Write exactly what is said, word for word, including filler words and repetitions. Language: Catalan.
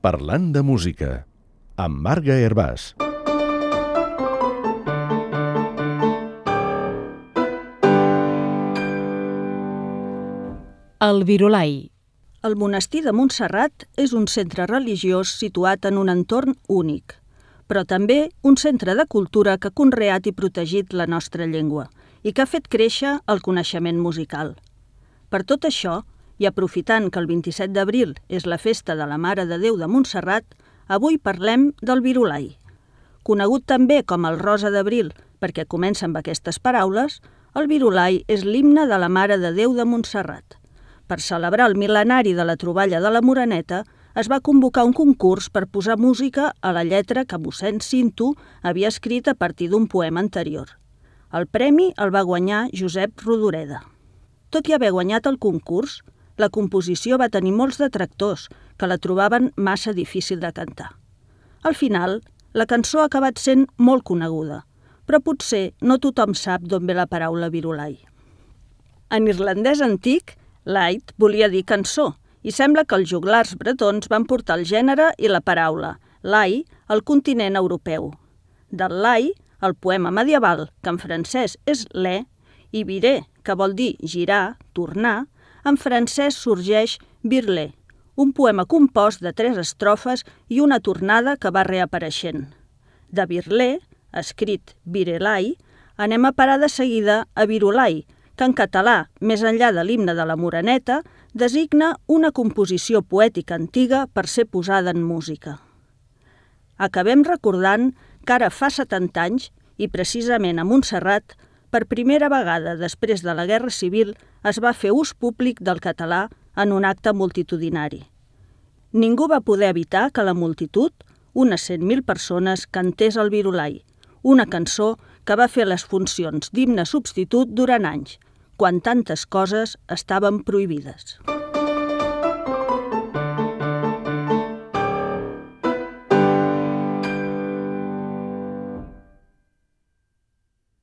Parlant de música, amb Marga Hervàs. El Virolai. El monestir de Montserrat és un centre religiós situat en un entorn únic, però també un centre de cultura que ha conreat i protegit la nostra llengua i que ha fet créixer el coneixement musical. Per tot això, i aprofitant que el vint-i-set d'abril és la festa de la Mare de Déu de Montserrat, avui parlem del Virolai. Conegut també com el Rosa d'Abril, perquè comença amb aquestes paraules, el Virolai és l'himne de la Mare de Déu de Montserrat. Per celebrar el mil·lenari de la troballa de la Moreneta, es va convocar un concurs per posar música a la lletra que mossèn Cinto havia escrit a partir d'un poema anterior. El premi el va guanyar Josep Rodoreda. Tot i haver guanyat el concurs, la composició va tenir molts detractors que la trobaven massa difícil de cantar. Al final, la cançó ha acabat sent molt coneguda, però potser no tothom sap d'on ve la paraula Virolai. En irlandès antic, Light volia dir cançó, i sembla que els joglars bretons van portar el gènere i la paraula lai al continent europeu. Del lai, el poema medieval, que en francès és lè, i viré, que vol dir girar, tornar, en francès sorgeix Virlé, un poema compost de tres estrofes i una tornada que va reapareixent. De Virlé, escrit Virelai, anem a parar de seguida a Virolai, que en català, més enllà de l'himne de la Moreneta, designa una composició poètica antiga per ser posada en música. Acabem recordant que ara fa setanta anys, i precisament a Montserrat, per primera vegada després de la Guerra Civil es va fer ús públic del català en un acte multitudinari. Ningú va poder evitar que la multitud, unes cent mil persones, cantés el Virolai, una cançó que va fer les funcions d'himne substitut durant anys, quan tantes coses estaven prohibides.